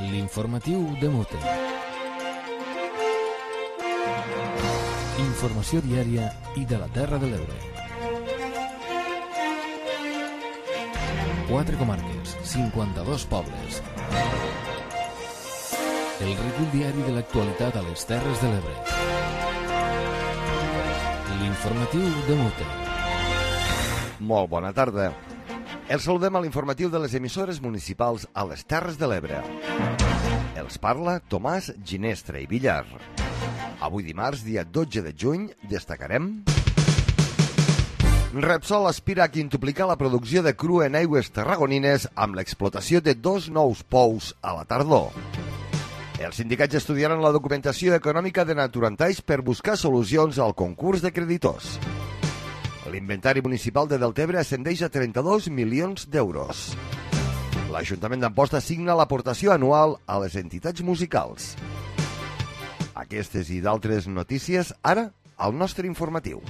L'informatiu de Mute. Informació diària i de la Terra de l'Ebre. 4 comarques, 52 pobles. El recull diari de l'actualitat a les Terres de l'Ebre. L'informatiu de Mute. Molt bona tarda. Els saludem a l'informatiu de les emissores municipals a les Terres de l'Ebre. Els parla Tomàs Ginestra i Villar. Avui dimarts, dia 12 de juny, destacarem... Repsol aspira a quintuplicar la producció de cru en aigües tarragonines amb l'explotació de 2 nous pous a la tardor. Els sindicats estudiaran la documentació econòmica de Naturantaix per buscar solucions al concurs de creditors. L'inventari municipal de Deltebre ascendeix a 32 milions d'euros. L'Ajuntament d'Amposta signa l'aportació anual a les entitats musicals. Aquestes i d'altres notícies, ara, al nostre informatiu.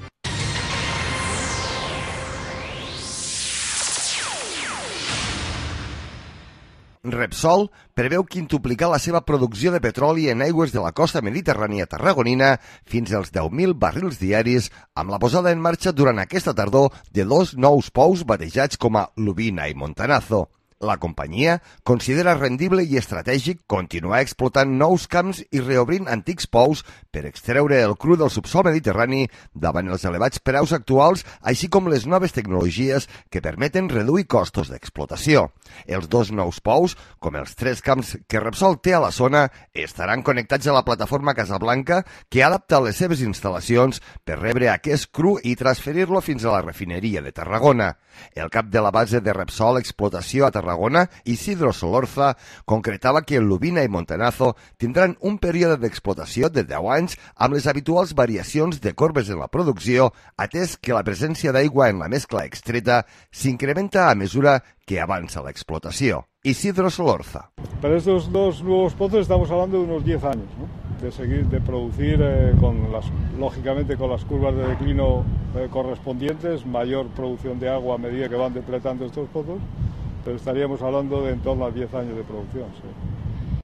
Repsol preveu quintuplicar la seva producció de petroli en aigües de la costa mediterrània tarragonina fins als 10.000 barrils diaris amb la posada en marxa durant aquesta tardor de 2 nous pous batejats com a Lubina i Montanazo. La companyia considera rendible i estratègic continuar explotant nous camps i reobrint antics pous per extreure el cru del subsòl mediterrani davant els elevats preus actuals, així com les noves tecnologies que permeten reduir costos d'explotació. Els 2 nous pous, com els 3 camps que Repsol té a la zona, estaran connectats a la plataforma Casablanca, que adapta les seves instal·lacions per rebre aquest cru i transferir-lo fins a la refineria de Tarragona. El cap de la base de Repsol Explotació a Tarragona, Isidro Solorza, concretava que Lubina i Montanazo tindran un període d'explotació de 10 anys amb les habituals variacions de corbes en la producció, atès que la presència d'aigua en la mescla extreta s'incrementa a mesura que avanza la explotación. Isidro Solorza. Para estos 2 nuevos pozos estamos hablando de unos 10 años, ¿no? De producir, lógicamente con las curvas de declino correspondientes, mayor producción de agua a medida que van depletando estos pozos, pero estaríamos hablando de en torno a 10 años de producción. Sí.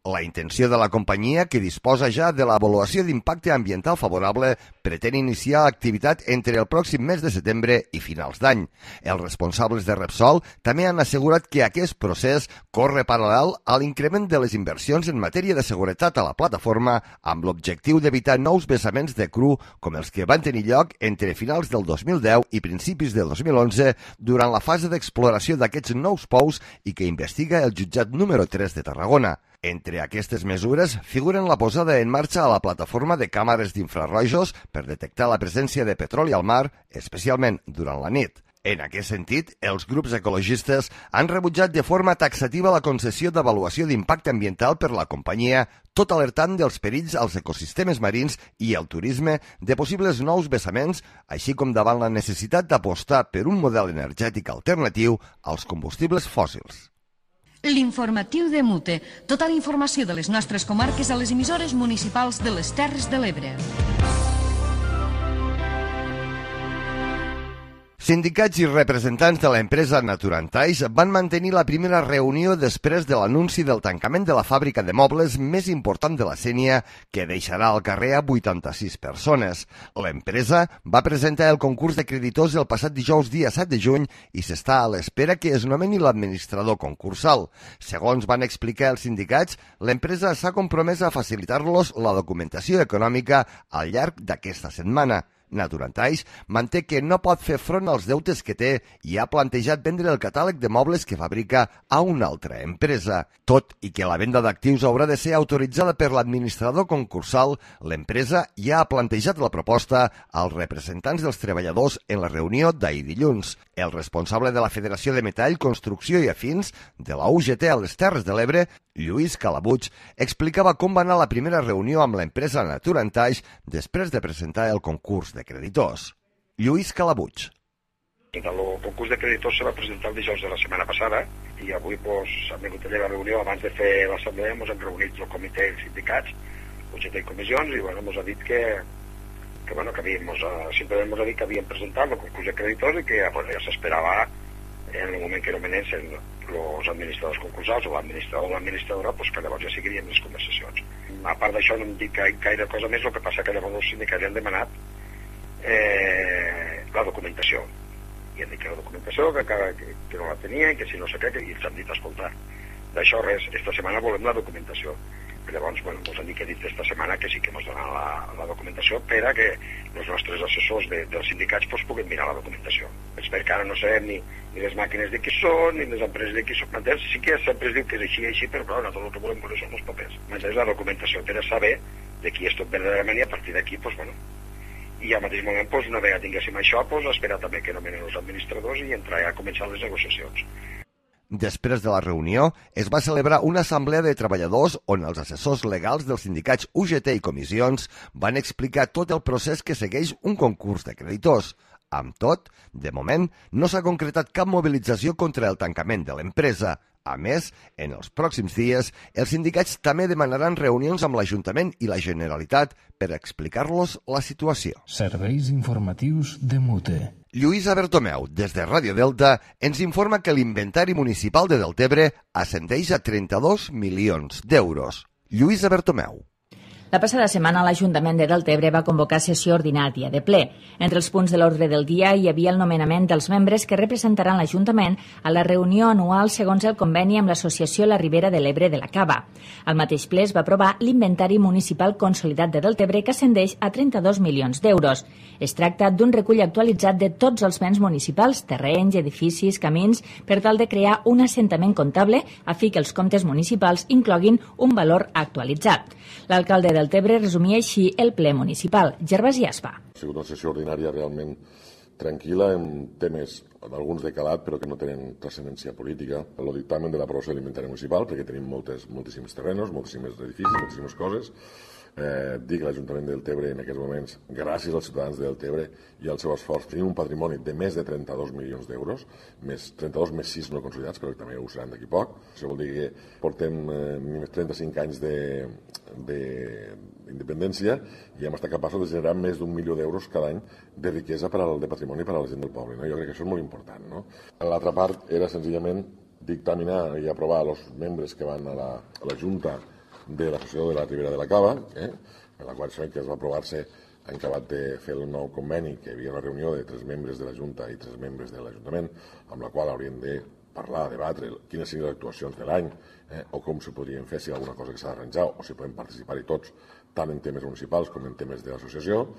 La intenció de la companyia, que disposa ja de l'avaluació d'impacte ambiental favorable, pretén iniciar l'activitat entre el pròxim mes de setembre i finals d'any. Els responsables de Repsol també han assegurat que aquest procés corre paral·lel a l'increment de les inversions en matèria de seguretat a la plataforma amb l'objectiu d'evitar nous vessaments de cru com els que van tenir lloc entre finals del 2010 i principis del 2011 durant la fase d'exploració d'aquests nous pous i que investiga el jutjat número 3 de Tarragona. Entre aquestes mesures figuren la posada en marxa a la plataforma de càmeres d'infrarrojos per detectar la presència de petroli al mar, especialment durant la nit. En aquest sentit, els grups ecologistes han rebutjat de forma taxativa la concessió d'avaluació d'impacte ambiental per la companyia, tot alertant dels perills als ecosistemes marins i al turisme de possibles nous vessaments, així com davant la necessitat d'apostar per un model energètic alternatiu als combustibles fòssils. L'informatiu de Mute. Tota la informació de les nostres comarques a les emissores municipals de les Terres de l'Ebre. Sindicats i representants de l'empresa Naturantaix van mantenir la primera reunió després de l'anunci del tancament de la fàbrica de mobles més important de la Sénia, que deixarà al carrer a 86 persones. L'empresa va presentar el concurs de creditors el passat dijous dia 7 de juny i s'està a l'espera que es nomeni l'administrador concursal. Segons van explicar els sindicats, l'empresa s'ha compromès a facilitar-los la documentació econòmica al llarg d'aquesta setmana. Naturantaix manté que no pot fer front als deutes que té i ha plantejat vendre el catàleg de mobles que fabrica a una altra empresa. Tot i que la venda d'actius haurà de ser autoritzada per l'administrador concursal, l'empresa ja ha plantejat la proposta als representants dels treballadors en la reunió d'ahir dilluns. El responsable de la Federació de Metall, Construcció i Afins de la UGT a les Terres de l'Ebre, Lluís Calabuig, explicava com va anar la primera reunió amb l'empresa Naturantaix després de presentar el concurs de creditors. Lluís Calabuig. El concurs de creditors se va presentar el dijous de la setmana passada i avui hem vingut a la reunió abans de fer l'assemblea, ens hem reunit el comitè de sindicats, UGT i comissions, i ens ha dit que simplement ens ha dit que havíem presentat el concurs de creditors i que ja s'esperava en el moment que nomenessin els administradors concursals o l'administrador o l'administradora, doncs que llavors ja seguirien les conversacions. A part d'això no em dic gaire cosa més, el que passa que llavors els sindicats han demanat la documentació. I han dit que la documentació que no la tenien, que si no sé què, i els han dit, escolta, d'això res, esta setmana volem la documentació. I llavors, bueno, ens han dit que he dit esta setmana que sí que ens donaran la documentació per a que els nostres assessors dels sindicats pues, puguin mirar la documentació. És perquè ara no sabem ni les màquines de qui són, ni les empreses de qui són. M'entens? Sí que sempre es diu que és així, però clar, nosaltres el que volem veure són els papers. M'entens? La documentació per a saber de qui és tot verdaderament i a partir d'aquí, pues, bueno, i al mateix moment, pues, una vegada tinguéssim això, pues, esperar també que nomenen els administradors i entrar a començar les negociacions. Després de la reunió, es va celebrar una assemblea de treballadors on els assessors legals dels sindicats UGT i comissions van explicar tot el procés que segueix un concurs de creditors. Amb tot, de moment, no s'ha concretat cap mobilització contra el tancament de l'empresa. A més, en els pròxims dies, els sindicats també demanaran reunions amb l'Ajuntament i la Generalitat per explicar-los la situació. Serveis informatius de Mute. Lluïsa Bertomeu, des de Ràdio Delta, ens informa que l'inventari municipal de Deltebre ascendeix a 32 milions d'euros. Lluïsa Bertomeu. La passada setmana l'Ajuntament de Deltebre va convocar sessió ordinària de ple. Entre els punts de l'ordre del dia hi havia el nomenament dels membres que representaran l'Ajuntament a la reunió anual segons el conveni amb l'Associació La Ribera de l'Ebre de la Cava. Al mateix ple es va aprovar l'inventari municipal consolidat de Deltebre que ascendeix a 32 milions d'euros. Es tracta d'un recull actualitzat de tots els béns municipals, terrenys, edificis, camins, per tal de crear un assentament comptable a fi que els comptes municipals incloguin un valor actualitzat. L'alcalde de Deltebre resumia així el ple municipal. Gervasi Aspa. Ha sigut una sessió ordinària realment tranquil·la, en temes, alguns de calat, però que no tenen transcendència política. El dictamen de l'aprovació de l'inventari municipal, perquè tenim moltíssims terrenos, moltíssims edificis, moltíssimes coses. Dic que l'Ajuntament de Deltebre en aquests moments, gràcies als ciutadans de Deltebre i al seu esforç, tenim un patrimoni de més de 32 milions d'euros, 32 més 6 no consolidats, però també ho seran d'aquí poc. Això vol dir que portem 35 anys d'independència i hem estat capaços de generar més d'1 milió d'euros cada any de riquesa de patrimoni per a la gent del poble. No? Jo crec que això és molt important. No? L'altra part era senzillament dictaminar i aprovar els membres que van a la Junta de l'Associació de la Ribera de la Cava, en la qual sabem que es va aprovar-se en acabat de fer el nou conveni, que hi havia una reunió de 3 membres de la Junta i 3 membres de l'Ajuntament, amb la qual haurien de parlar, debatre quines serien les actuacions de l'any, o com se podrien fer, si hi ha alguna cosa que s'ha d'arranjar, o si podem participar-hi tots, tant en temes municipals com en temes de l'associació.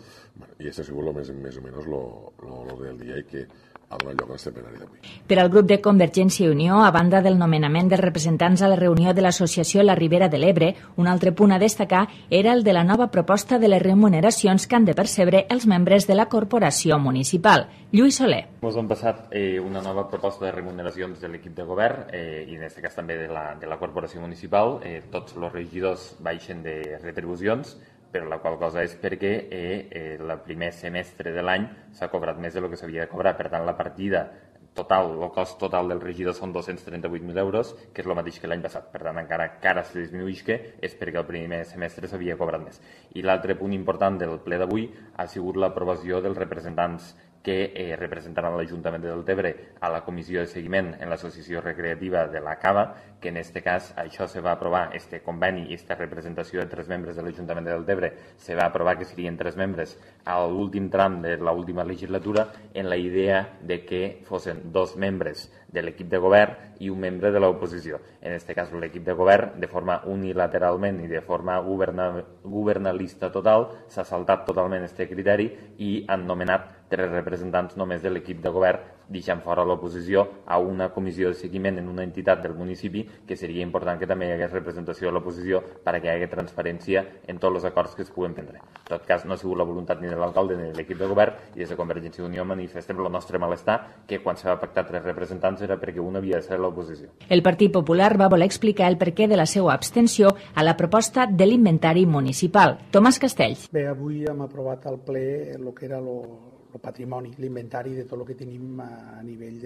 I això ha sigut més o menys l'ordre del dia i que ha donat lloc a este plenari d'avui. Per al grup de Convergència i Unió, a banda del nomenament dels representants a la reunió de l'Associació La Ribera de l'Ebre, un altre punt a destacar era el de la nova proposta de les remuneracions que han de percebre els membres de la corporació municipal. Lluís Soler. Ens han passat una nova proposta de remuneracions de l'equip de govern i en aquest cas també de la corporació municipal. Tots els regidors baixen de retribucions, però la qual cosa és perquè el primer semestre de l'any s'ha cobrat més del que s'havia de cobrar. Per tant, la partida total, el cost total del regidor són 238.000 euros, que és el mateix que l'any passat. Per tant, encara se disminueix, que és perquè el primer semestre s'havia cobrat més. I l'altre punt important del ple d'avui ha sigut l'aprovació dels representants que representaran l'Ajuntament de Deltebre a la comissió de seguiment en l'associació recreativa de la Cava, que en aquest cas això se va aprovar, este conveni i esta representació de 3 membres de l'Ajuntament de Deltebre se va aprovar que serien 3 membres a l'últim tram de l'última legislatura, en la idea de que fossin 2 membres de l'equip de govern i un membre de l'oposició. En aquest cas l'equip de govern, de forma unilateralment i de forma governalista total, s'ha saltat totalment aquest criteri i han nomenat 3 representants només de l'equip de govern, deixant fora l'oposició a una comissió de seguiment en una entitat del municipi, que seria important que també hi hagués representació de l'oposició perquè hi hagi transparència en tots els acords que es puguen prendre. En tot cas, no ha sigut la voluntat ni de l'alcalde ni de l'equip de govern, i des de Convergència i Unió manifestem el nostre malestar, que quan se va pactar 3 representants era perquè un havia de ser l'oposició. El Partit Popular va voler explicar el perquè de la seva abstenció a la proposta de l'inventari municipal. Tomàs Castells. Bé, avui hem aprovat al ple el que era el patrimoni, l'inventari de tot el que tenim a nivell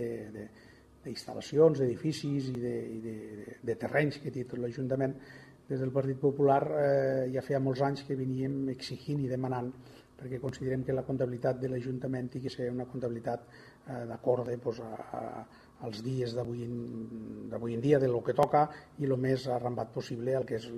d'instal·lacions, d'edificis i de terrenys que té tot l'Ajuntament. Des del Partit Popular ja feia molts anys que veníem exigint i demanant, perquè considerem que la comptabilitat de l'Ajuntament ha de ser una comptabilitat d'acord als dies d'avui en dia, del que toca, i el més arrambat possible al que és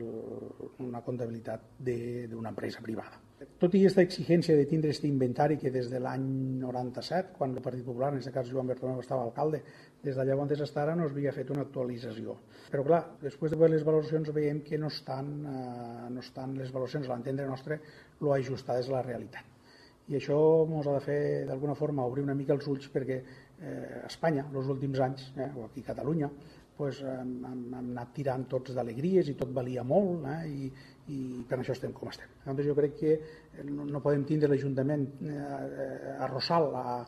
una comptabilitat d'una empresa privada. Tot i aquesta exigència de tindre aquest inventari que des de l'any 97, quan el Partit Popular, en aquest cas Joan Bertomeu estava alcalde, des d'allà on fins ara no s'havia fet una actualització. Però clar, després de veure les valoracions veiem que no estan les valoracions, a l'entendre nostre, lo ajustades a la realitat. I això ens ha de fer, d'alguna forma, obrir una mica els ulls perquè a Espanya, els últims anys, o aquí a Catalunya, hem anat tirant tots d'alegries i tot valia molt, i per això estem com estem. Llavors jo crec que no podem tindre l'Ajuntament a Rossal a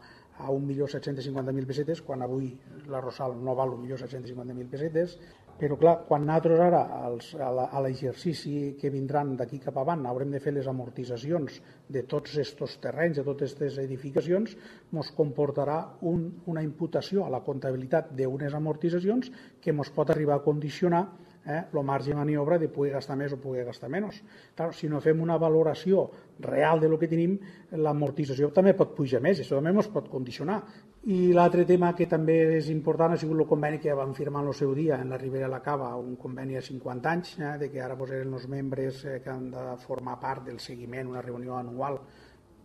1.750.000 pessetes, quan avui la Rossal no val 1.750.000 pessetes, però clar, quan nosaltres ara a l'exercici que vindran d'aquí cap avant haurem de fer les amortitzacions de tots aquests terrenys, de totes aquestes edificacions, ens comportarà una imputació a la comptabilitat d'unes amortitzacions que ens pot arribar a condicionar el marge de maniobra de poder gastar més o poder gastar menys. Clar, si no fem una valoració real del que tenim, l'amortització també pot pujar més, això també ens pot condicionar. I l'altre tema que també és important ha sigut el conveni que vam firmar en el seu dia en la Ribera de la Cava, un conveni a 50 anys, de que ara eren els membres que han de formar part del seguiment, una reunió anual.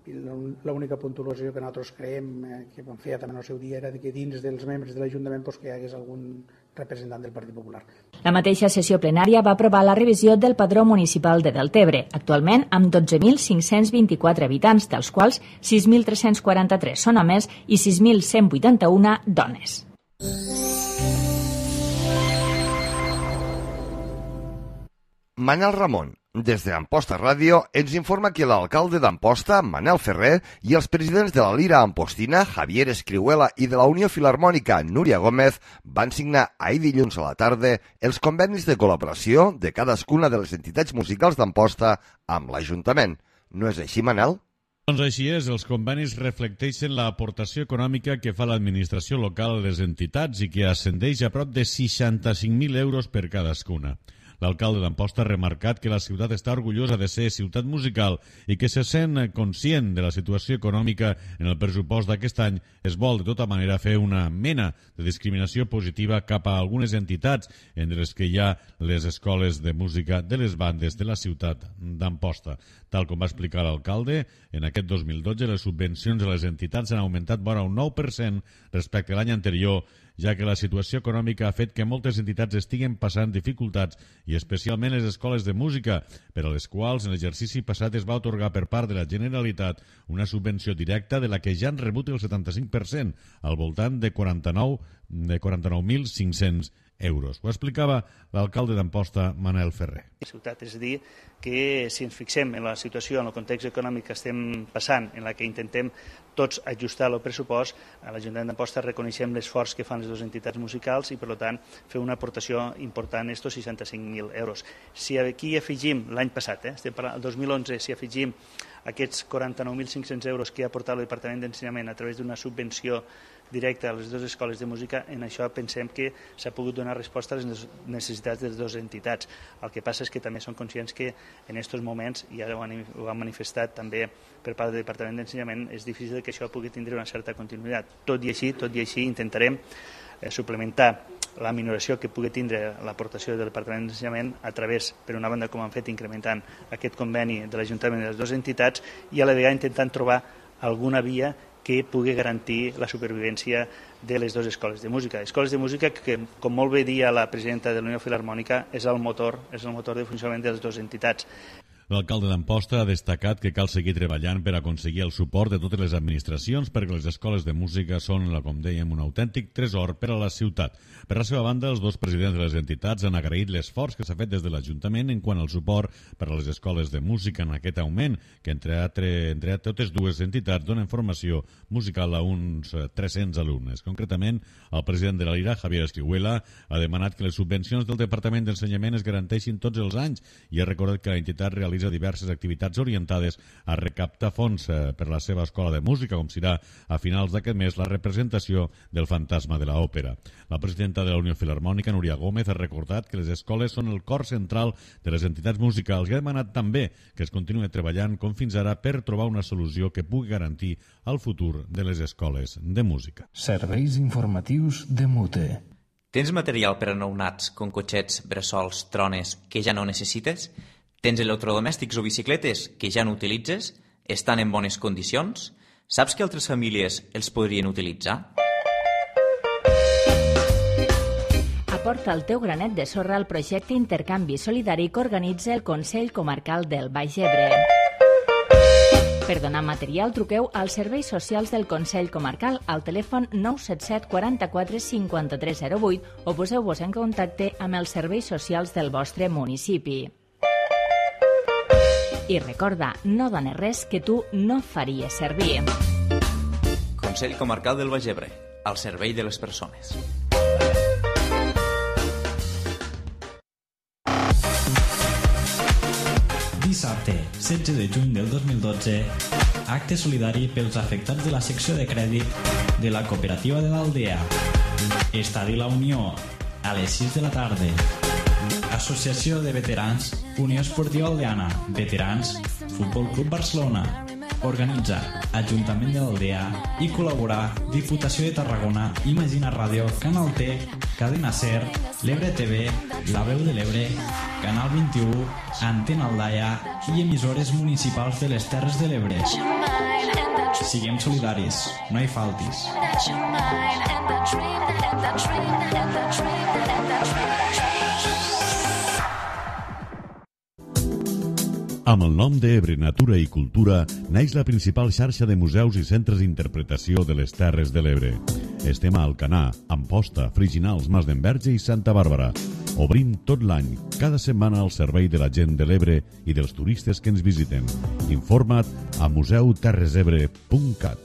L'única puntuació que nosaltres creiem, que vam fer també en el seu dia, era que dins dels membres de l'Ajuntament que hi hagués algun representant del Partit Popular. La mateixa sessió plenària va aprovar la revisió del padró municipal de Deltebre, actualment amb 12.524 habitants, dels quals 6.343 són homes i 6.181 dones. Manel Ramon, des d'Amposta Ràdio, ens informa que l'alcalde d'Amposta, Manel Ferrer, i els presidents de la Lira Ampostina, Javier Escrihuela, i de la Unió Filarmònica, Núria Gómez, van signar ahir dilluns a la tarda els convenis de col·laboració de cadascuna de les entitats musicals d'Amposta amb l'Ajuntament. No és així, Manel? Doncs així és, els convenis reflecteixen l'aportació econòmica que fa l'administració local a les entitats i que ascendeix a prop de 65.000 euros per cadascuna. L'alcalde d'Amposta ha remarcat que la ciutat està orgullosa de ser ciutat musical i que se sent conscient de la situació econòmica en el pressupost d'aquest any. Es vol, de tota manera, fer una mena de discriminació positiva cap a algunes entitats, entre les que hi ha les escoles de música de les bandes de la ciutat d'Amposta. Tal com va explicar l'alcalde, en aquest 2012 les subvencions a les entitats han augmentat vora un 9% respecte a l'any anterior, ja que la situació econòmica ha fet que moltes entitats estiguen passant dificultats i especialment les escoles de música, per a les quals en l'exercici passat es va atorgar per part de la Generalitat una subvenció directa de la que ja han rebut el 75%, al voltant de 49.500 euros. Ho explicava l'alcalde d'Amposta, Manel Ferrer. Ciutat, és a dir, que si ens fixem en la situació, en el context econòmic que estem passant, en la que intentem tots ajustar el pressupost, a l'Ajuntament d'Amposta reconeixem l'esforç que fan les dues entitats musicals i, per tant, fer una aportació important estos 65.000 euros. Si aquí afegim l'any passat, estem parlant, el 2011, si afegim aquests 49.500 euros que ha aportat el Departament d'Ensenyament a través d'una subvenció directa a les dues escoles de música, en això pensem que s'ha pogut donar resposta a les necessitats de les dues entitats. El que passa és que també som conscients que en aquests moments, i ara ho han manifestat també per part del Departament d'Ensenyament, és difícil que això pugui tindre una certa continuïtat. Tot i així intentarem suplementar la minoració que pugui tindre l'aportació del Departament d'Ensenyament a través, per una banda, com han fet, incrementant aquest conveni de l'Ajuntament de les dues entitats i a la vegada intentant trobar alguna via que pugui garantir la supervivència de les dues escoles de música. Escoles de música que, com molt bé dia la presidenta de la Unió Filarmònica, és el motor de funcionament de les dues entitats. L'alcalde d'Amposta ha destacat que cal seguir treballant per aconseguir el suport de totes les administracions perquè les escoles de música són, com dèiem, un autèntic tresor per a la ciutat. Per la seva banda, els dos presidents de les entitats han agraït l'esforç que s'ha fet des de l'Ajuntament en quant al suport per a les escoles de música en aquest augment, que entre totes dues entitats donen formació musical a uns 300 alumnes. Concretament, el president de la Lira, Javier Escrihuela, ha demanat que les subvencions del Departament d'Ensenyament es garanteixin tots els anys i ha recordat que l'entitat realitza organitza diverses activitats orientades a recaptar fons per la seva escola de música, com serà a finals d'aquest mes la representació del Fantasma de l'Òpera. La presidenta de la Unió Filharmònica, Núria Gómez, ha recordat que les escoles són el cor central de les entitats musicals i ha demanat també que es continuï treballant com fins ara per trobar una solució que pugui garantir el futur de les escoles de música. Serveis informatius de MUTE. Tens material per a nounats, com cotxets, bressols, trones, que ja no necessites? Tens electrodomèstics o bicicletes que ja no utilitzes? Estan en bones condicions? Saps que altres famílies els podrien utilitzar? Aporta el teu granet de sorra al projecte Intercanvi Solidari que organitza el Consell Comarcal del Baix Ebre. Per donar material, truqueu als serveis socials del Consell Comarcal al telèfon 977 44 5308 o poseu-vos en contacte amb els serveis socials del vostre municipi. I recorda, no dones res que tu no faries servir. Consell Comarcal del Baix Ebre, al servei de les persones. Dissabte, 16 de juny del 2012, acte solidari pels afectats de la secció de crèdit de la cooperativa de l'Aldea. Estadi La Unió, a les 6 de la tarda. Associació de Veterans, Unió Esportiva Aldeana, Veterans, Futbol Club Barcelona. Organitza Ajuntament de l'Aldea i col·laborar Diputació de Tarragona, Imagina Ràdio, Canal T, Cadena Ser, l'Ebre TV, La Veu de l'Ebre, Canal 21, Antena Aldaia i emissores municipals de les Terres de l'Ebre. Siguem solidaris, no hi faltis. Amb el nom d'Ebre Natura i Cultura naix la principal xarxa de museus i centres d'interpretació de les Terres de l'Ebre. Estem a Alcanar, Amposta, Friginals, Mas d'Enverge i Santa Bàrbara. Obrim tot l'any, cada setmana al servei de la gent de l'Ebre i dels turistes que ens visiten. Informa't a museuterresebre.cat.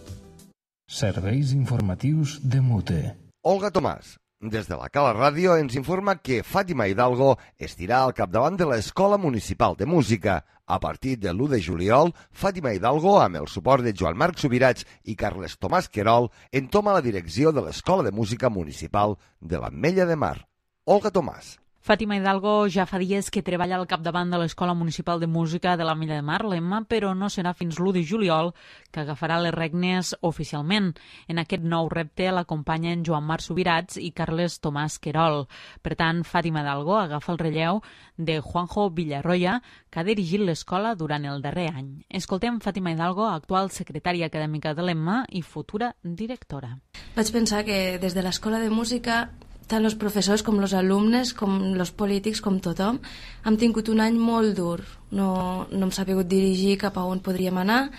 Serveis informatius de MUTE. Olga Tomàs, des de la Cala Ràdio, ens informa que Fàtima Hidalgo estirà al capdavant de l'Escola Municipal de Música. A partir de l'1 de juliol, Fàtima Hidalgo, amb el suport de Joan Marc Subirats i Carles Tomàs Querol, entoma la direcció de l'Escola de Música Municipal de l'Ametlla de Mar. Olga Tomàs. Fàtima Hidalgo ja fa dies que treballa al capdavant de l'Escola Municipal de Música de l'Ametlla de Mar, l'EMMA, però no serà fins l'1 de juliol que agafarà les regnes oficialment. En aquest nou repte l'acompanyen Joan Marc Subirats i Carles Tomàs Querol. Per tant, Fàtima Hidalgo agafa el relleu de Juanjo Villarroya, que ha dirigit l'escola durant el darrer any. Escoltem Fàtima Hidalgo, actual secretària acadèmica de l'EMMA i futura directora. Vaig pensar que des de l'Escola de Música tant els professors com els alumnes, com els polítics, com tothom, hem tingut un any molt dur. No hem sabut dirigir cap a on podríem anar.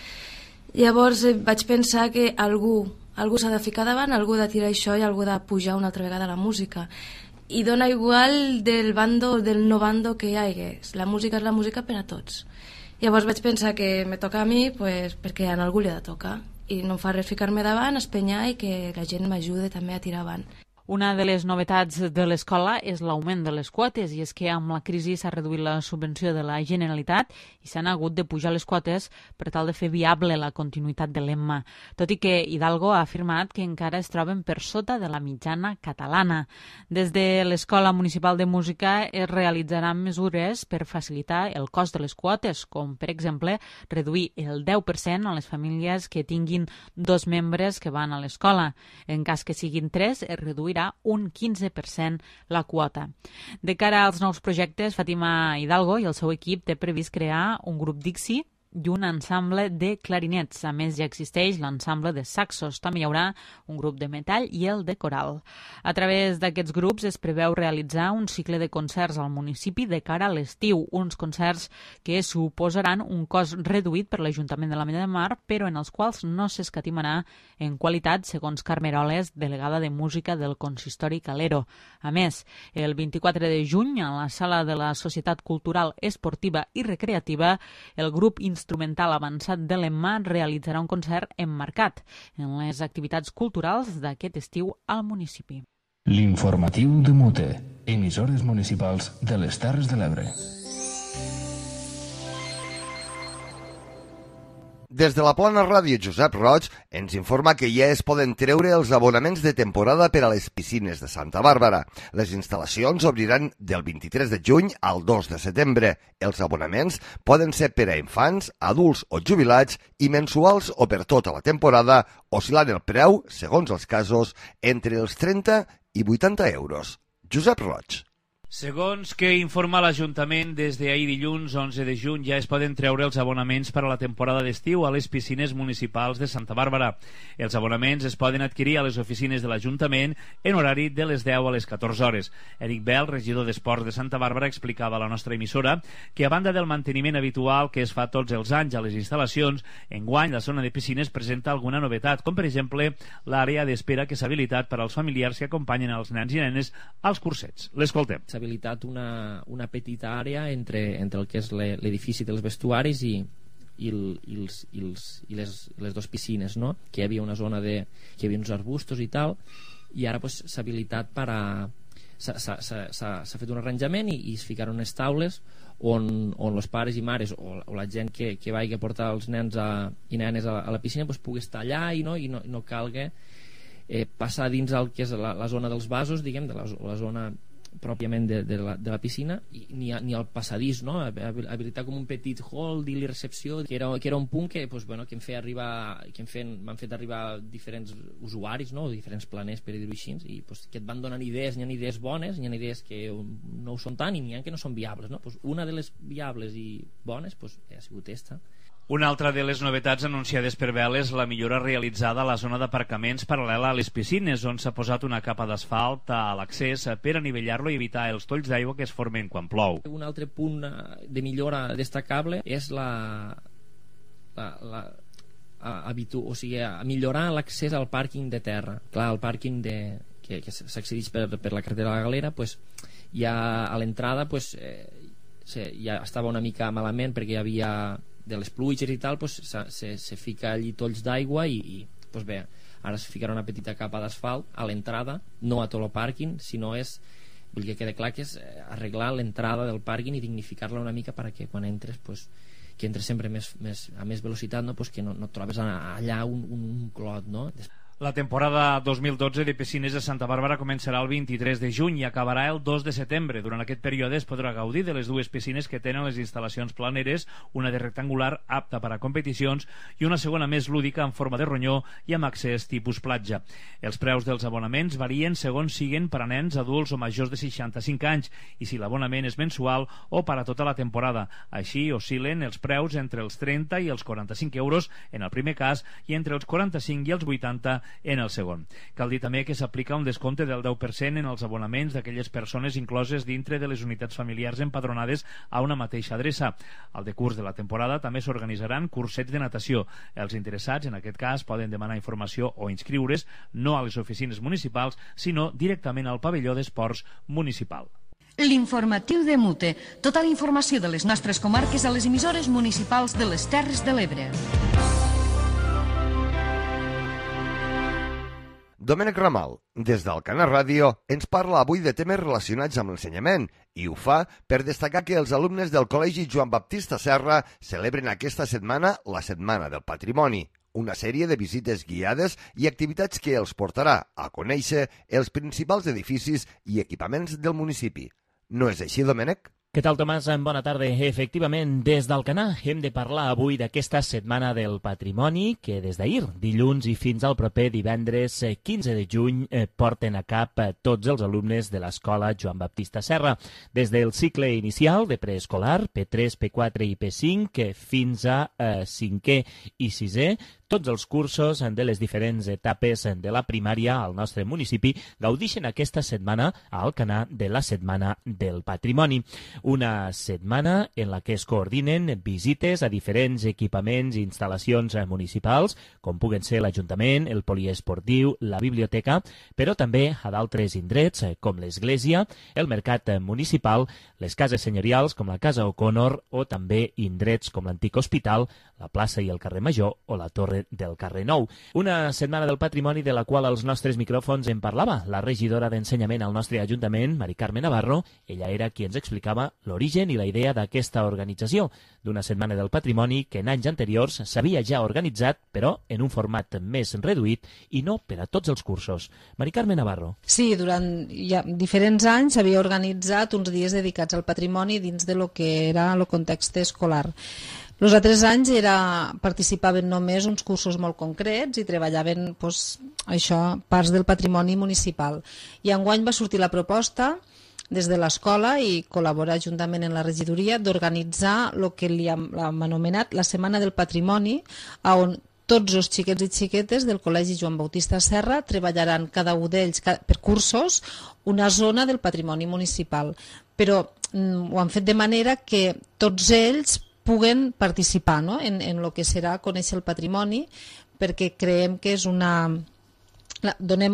Llavors vaig pensar que algú s'ha de ficar davant, algú ha de tirar això i algú ha de pujar una altra vegada a la música. I dona igual del bando o del no bando que hi hagi. La música és la música per a tots. Llavors vaig pensar que me toca a mi perquè a algú li ha de tocar. I no em fa res ficar-me davant, espenyar i que la gent m'ajude també a tirar avant. Una de les novetats de l'escola és l'augment de les quotes, i és que amb la crisi s'ha reduït la subvenció de la Generalitat i s'han hagut de pujar les quotes per tal de fer viable la continuïtat de l'EMMA, tot i que Hidalgo ha afirmat que encara es troben per sota de la mitjana catalana. Des de l'Escola Municipal de Música es realitzaran mesures per facilitar el cost de les quotes, com per exemple reduir el 10% a les famílies que tinguin 2 membres que van a l'escola. En cas que siguin 3, es reduirà un 15% la quota. De cara als nous projectes, Fàtima Hidalgo i el seu equip té previst crear un grup Dixi i un ensemble de clarinets. A més, ja existeix l'ensemble de saxos. També hi haurà un grup de metall i el de coral. A través d'aquests grups es preveu realitzar un cicle de concerts al municipi de cara a l'estiu, uns concerts que suposaran un cost reduït per l'Ajuntament de l'Ametlla de Mar, però en els quals no s'escatimarà en qualitat, segons Carme Eroles, delegada de música del Consistori Calero. A més, el 24 de juny, a la sala de la Societat Cultural, Esportiva i Recreativa, el grup instrumental avançat de l'EMMA realitzarà un concert emmarcat en les activitats culturals d'aquest estiu al municipi. L'informatiu de MUTE, emissores municipals de les Terres de l'Ebre. Des de la Plana Ràdio, Josep Roig ens informa que ja es poden treure els abonaments de temporada per a les piscines de Santa Bàrbara. Les instal·lacions obriran del 23 de juny al 2 de setembre. Els abonaments poden ser per a infants, adults o jubilats i mensuals o per tota la temporada, oscil·lant el preu, segons els casos, entre els 30 i 80 euros. Josep Roig. Segons que informa l'Ajuntament, des d'ahir dilluns 11 de juny ja es poden treure els abonaments per a la temporada d'estiu a les piscines municipals de Santa Bàrbara. Els abonaments es poden adquirir a les oficines de l'Ajuntament en horari de les 10 a les 14 hores. Eric Bell, regidor d'Esports de Santa Bàrbara, explicava a la nostra emissora que a banda del manteniment habitual que es fa tots els anys a les instal·lacions, enguany la zona de piscines presenta alguna novetat, com per exemple l'àrea d'espera que s'ha habilitat per als familiars que acompanyen els nens i nenes als cursets. L'escoltem. S'ha habilitat una petita àrea entre el que és l'edifici dels vestuaris i les dues piscines, no? Que hi havia una zona que hi havia uns arbustos i tal, i ara pues, s'ha habilitat s'ha fet un arranjament i es ficaron unes taules on els pares i mares o la gent que vagi a portar els nens i nenes a la piscina pues, pugui estar allà i no calgui passar dins el que és la zona dels vasos, diguem, de la zona pròpiament de la piscina, ni al passadís, no? Habilitar com un petit hall de la recepció, que era un punt que m'han fet arribar diferents usuaris, no? Diferents planers, per dir-ho així, i que et van donant idees. N'hi ha idees bones, n'hi ha idees que no ho són tant i n'hi ha que no són viables, no? Una de les viables i bones ha sigut aquesta. Una altra de les novetats anunciades per Bell és la millora realitzada a la zona d'aparcaments paral·lela a les piscines, on s'ha posat una capa d'asfalt a l'accés per anivellar-lo i evitar els tolls d'aigua que es formen quan plou. Un altre punt de millora destacable és millorar l'accés al pàrquing de terra. Clar, el pàrquing que s'accedeix per la carretera de la Galera, ja a l'entrada ja estava una mica malament perquè hi havia de les pluges i tal, se fica allí tolls d'aigua i bé, ara es ficarà una petita capa d'asfalt a l'entrada, no a tot el pàrquing, sinó vull que quede clar que és arreglar l'entrada del pàrquing i dignificar-la una mica perquè quan entres que entres sempre a més velocitat, no? Que no et trobes allà un clot, no? La temporada 2012 de piscines de Santa Bàrbara començarà el 23 de juny i acabarà el 2 de setembre. Durant aquest període es podrà gaudir de les dues piscines que tenen les instal·lacions planeres, una de rectangular apta per a competicions i una segona més lúdica en forma de ronyó i amb accés tipus platja. Els preus dels abonaments varien segons siguen per a nens, adults o majors de 65 anys i si l'abonament és mensual o per a tota la temporada. Així oscil·len els preus entre els 30 i els 45 euros en el primer cas i entre els 45 i els 80 en el segon. Cal dir també que s'aplica un descompte del 10% en els abonaments d'aquelles persones incloses dintre de les unitats familiars empadronades a una mateixa adreça. Al decurs de la temporada també s'organitzaran cursets de natació. Els interessats, en aquest cas, poden demanar informació o inscriure's no a les oficines municipals, sinó directament al pavelló d'esports municipal. L'informatiu de Mute. Tota la informació de les nostres comarques a les emissores municipals de les Terres de l'Ebre. Domènec Ramal, des d'Alcanar Ràdio, ens parla avui de temes relacionats amb l'ensenyament i ho fa per destacar que els alumnes del Col·legi Joan Baptista Serra celebren aquesta setmana la Setmana del Patrimoni, una sèrie de visites guiades i activitats que els portarà a conèixer els principals edificis i equipaments del municipi. No és així, Domènec? Què tal, Tomàs? Bona tarda. Efectivament, des d'Alcanar hem de parlar avui d'aquesta Setmana del Patrimoni que des d'ahir, dilluns i fins al proper divendres 15 de juny porten a cap tots els alumnes de l'Escola Joan Baptista Serra. Des del cicle inicial de preescolar, P3, P4 i P5, fins a 5è i 6è, tots els cursos de les diferents etapes de la primària al nostre municipi gaudixen aquesta setmana a Alcanar de la Setmana del Patrimoni. Una setmana en la que es coordinen visites a diferents equipaments i instal·lacions municipals, com puguen ser l'Ajuntament, el poliesportiu, la biblioteca, però també a d'altres indrets, com l'església, el mercat municipal, les cases senyorials, com la Casa O'Connor, o també indrets com l'antic hospital, la plaça i el carrer Major o la torre del carrer Nou. Una setmana del patrimoni de la qual als nostres micròfons en parlava la regidora d'Ensenyament al nostre Ajuntament, Mari Carme Navarro. Ella era qui ens explicava l'origen i la idea d'aquesta organització, d'una setmana del patrimoni que en anys anteriors s'havia ja organitzat, però en un format més reduït i no per a tots els cursos. Mari Carme Navarro. Sí, durant ja diferents anys s'havia organitzat uns dies dedicats al patrimoni dins de lo que era el context escolar. Els altres anys participaven només uns cursos molt concrets i treballaven parts del patrimoni municipal. I enguany va sortir la proposta des de l'escola i col·laborar juntament en la regidoria d'organitzar el que li hem anomenat la Setmana del Patrimoni, on tots els xiquets i xiquetes del Col·legi Joan Bautista Serra treballaran cada un d'ells per cursos una zona del patrimoni municipal. Però ho han fet de manera que tots ells puguen participar en el que serà conèixer el patrimoni, perquè creiem que és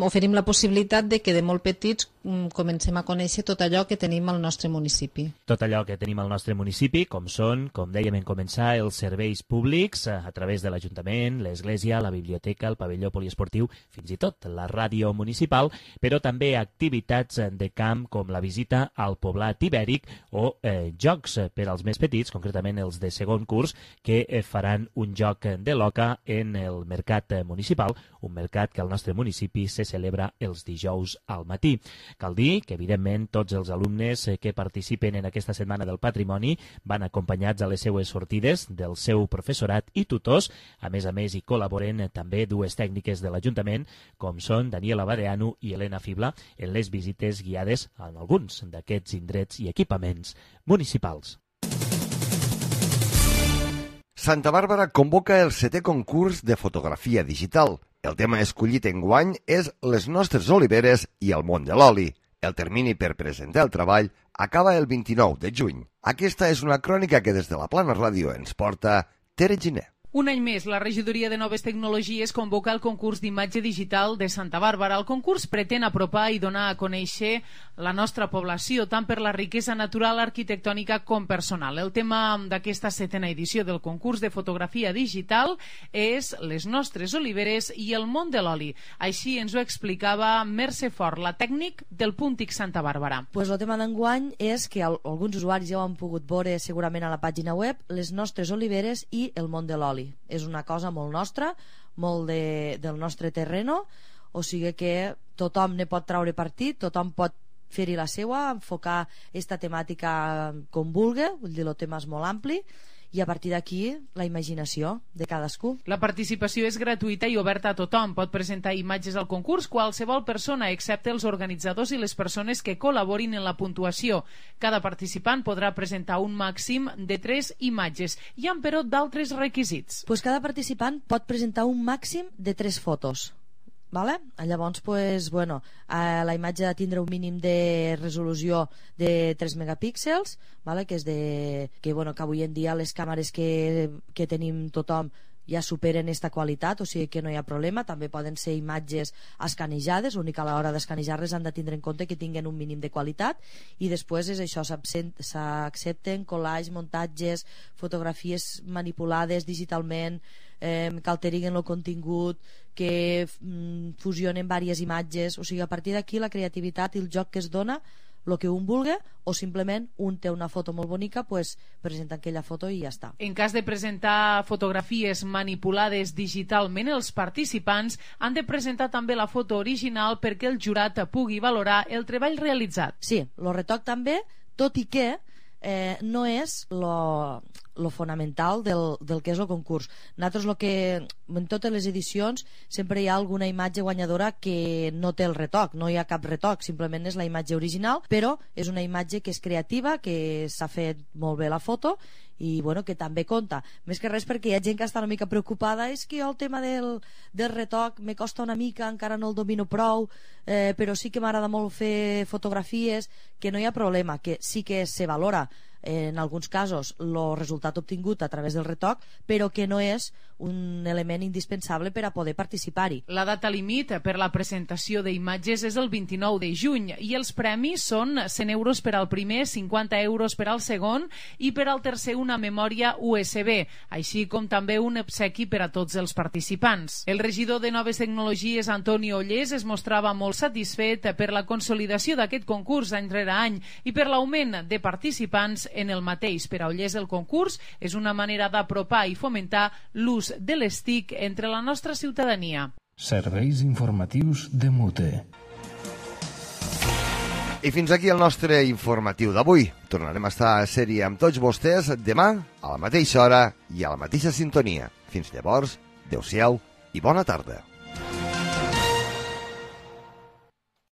oferim la possibilitat de que de molt petits comencem a conèixer tot allò que tenim al nostre municipi. Tot allò que tenim al nostre municipi, com són, com dèiem en començar, els serveis públics a través de l'Ajuntament, l'Església, la biblioteca, el pavelló poliesportiu, fins i tot la ràdio municipal, però també activitats de camp com la visita al poblat ibèric o jocs per als més petits, concretament els de segon curs, que faran un joc de l'oca en el mercat municipal, un mercat que al nostre municipi se celebra els dijous al matí. Cal dir que, evidentment, tots els alumnes que participen en aquesta Setmana del Patrimoni van acompanyats a les seues sortides del seu professorat i tutors. A més, hi col·laboren també dues tècniques de l'Ajuntament, com són Daniela Badeanu i Helena Fibla, en les visites guiades en alguns d'aquests indrets i equipaments municipals. Santa Bàrbara convoca el 7è concurs de fotografia digital. El tema escollit enguany és les nostres oliveres i el món de l'oli. El termini per presentar el treball acaba el 29 de juny. Aquesta és una crònica que des de la Plana Ràdio ens porta Tere Giner. Un any més, la Regidoria de Noves Tecnologies convoca el concurs d'imatge digital de Santa Bàrbara. El concurs pretén apropar i donar a conèixer la nostra població, tant per la riquesa natural, arquitectònica com personal. El tema d'aquesta 7a edició del concurs de fotografia digital és les nostres oliveres i el món de l'oli. Així ens ho explicava Mercè Fort, la tècnic del Puntic Santa Bàrbara. El tema d'enguany és que alguns usuaris ja ho han pogut veure segurament a la pàgina web, les nostres oliveres i el món de l'oli. És una cosa molt nostra, molt del nostre terreno, o sigui que tothom ne pot traure partit, tothom pot fer-hi la seua, enfocar aquesta temàtica com vulgui, vull dir, el tema és molt ampli, i a partir d'aquí la imaginació de cadascú. La participació és gratuïta i oberta a tothom. Pot presentar imatges al concurs qualsevol persona, excepte els organitzadors i les persones que col·laborin en la puntuació. Cada participant podrà presentar un màxim de 3 imatges. Hi ha, però, d'altres requisits. Cada participant pot presentar un màxim de 3 fotos. Vale? Llavors, la imatge ha de tindre un mínim de resolució de 3 megapíxels, vale? Que avui en dia les càmeres que tenim tothom ja superen aquesta qualitat, o sigui que no hi ha problema. També poden ser imatges escanejades, l'únic a l'hora d'escanejar-les han de tindre en compte que tinguin un mínim de qualitat, i després és això, s'accepten collages, muntatges, fotografies manipulades digitalment, que alteriguen el contingut, que fusionen diverses imatges. O sigui, a partir d'aquí la creativitat i el joc que es dona, el que un vulgui, o simplement un té una foto molt bonica, presenta aquella foto i ja està. En cas de presentar fotografies manipulades digitalment, els participants han de presentar també la foto original perquè el jurat pugui valorar el treball realitzat. Sí, el retoc també, tot i que no és lo fonamental del que és el concurs. Nosaltres en totes les edicions sempre hi ha alguna imatge guanyadora que no té el retoc, no hi ha cap retoc, simplement és la imatge original, però és una imatge que és creativa, que s'ha fet molt bé la foto i que també compta. Més que res perquè hi ha gent que està una mica preocupada, és que el tema del retoc me costa una mica, encara no el domino prou, però sí que m'agrada molt fer fotografies, que no hi ha problema, que sí que se valora en alguns casos el resultat obtingut a través del retoc, però que no és un element indispensable per a poder participar-hi. La data límit per la presentació d'imatges és el 29 de juny i els premis són 100 euros per al primer, 50 euros per al segon i per al tercer una memòria USB, així com també un obsequi per a tots els participants. El regidor de Noves Tecnologies, Antoni Ollés, es mostrava molt satisfet per la consolidació d'aquest concurs any rere any i per l'augment de participants en el mateix. Per a Ollés, el concurs és una manera d'apropar i fomentar l'ús de les TIC entre la nostra ciutadania. Serveis informatius de Mute. I fins aquí el nostre informatiu d'avui. Tornarem a estar a sèrie amb tots vostès demà a la mateixa hora i a la mateixa sintonia. Fins llavors, adeu-siau i bona tarda.